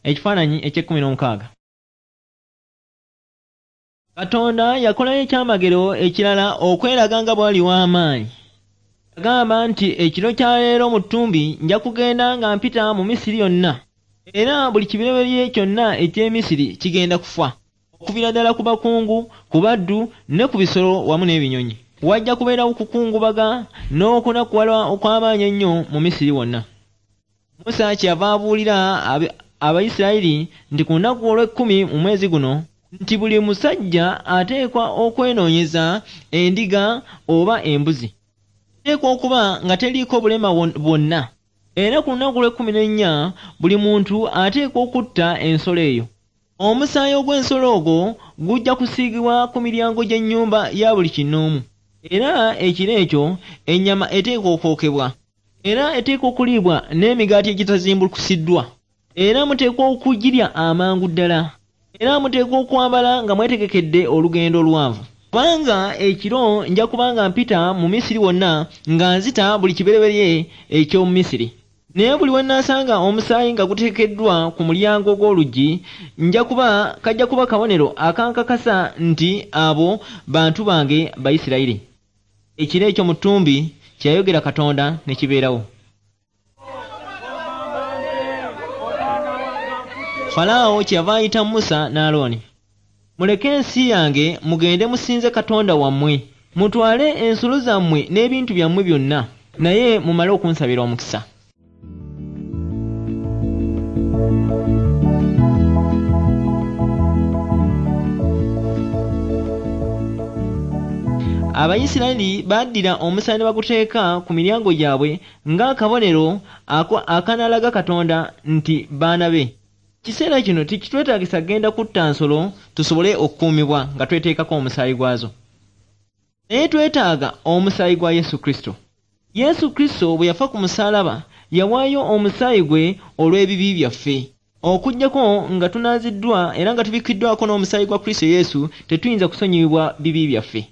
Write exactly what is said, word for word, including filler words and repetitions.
Ekifaananyi eky'ekkumi n'omukaaga. Katonda yakolayo ekyamagero ekirala okweraga nga bw'ali w'amaanyi. Yagamba nti ekiro kya leero mu ttumbi nja kugenda nga mpita mu Misiri yonna, era buli kibereberye kyonna eky'e Misiri kigenda kufa, okuviira ddala ku bakungu, ku baddu ne ku bisolo wamu n'ebinyonyi. Wajja kubeerawo okukungubaga n'okunakuwala okw'amaanyi ennyo mu Misiri wonna. Musa kyeyava abuulira Abayisirayiri nti ku lunaku olw'ekkumi mu mwezi guno nti buli musajja ateekwa okwenoonyeza endiga oba embuzi. Eteekwa okuba nga teriiko bulema bwonna. Era ku lunaku olw'ekkumi n'ennya buli muntu ateekwa okutta ensolo eyo. Omusaayi ogw'ensolo ogwo gujja kusiigibwa ku miryango gy'ennyumba ya buli kinnoomu. Era ekiro ekyo ennyama eteekwa okwokebwa. Era eteekwa okuliibwa n'emigaati egitazimbulukusiddwa. Era muteekwa okugirya amangu ddala. Era muteekwa okwambala nga mwetegekedde olugendo oluwanvu. Kubanga ekiro nja kuba nga mpita mu Misiri wonna nga nzita buli kibereberye eky'omu Misiri. Naye buli we nnaasanga omusaayi nga guteekeddwa ku mulyango gw'oluggi, nja kuba kajja kuba kabonero akankakasa nti abo bantu bange Bayisirayiri. Ekiro ekyo mu ttumbi kye yayogera Katonda ne kibeerawo. Falaawo kyeyava ayita Musa ne Alooni. Muleke ensi yange mugende musinze Katonda wammwe. Mutwale ensolo zammwe n'ebintu byammwe byonna, naye mumale okunsabira omukisa. Abayisirayiri baddira omusaayi ne baguteeka ku miryango gyabwe ng'akabonero akanaalaga Katonda nti baana be. Kiseera kino tekitwetaagisa kugenda kutta nsolo tusobole okukuumibwa nga tweteekako omusaayi gwazo. Naye twetaaga omusaayi gwa Yesu Kristo. Yesu Kristo bwe yafa ku musaalaba yawaayo omusaayi gwe olw'ebibi byaffe. Okuggyako nga tunaaziddwa era nga tubikkiddwako n'omusaayi gwa Kristo Yesu tetuyinza kusonyiyibwa bibi byaffe.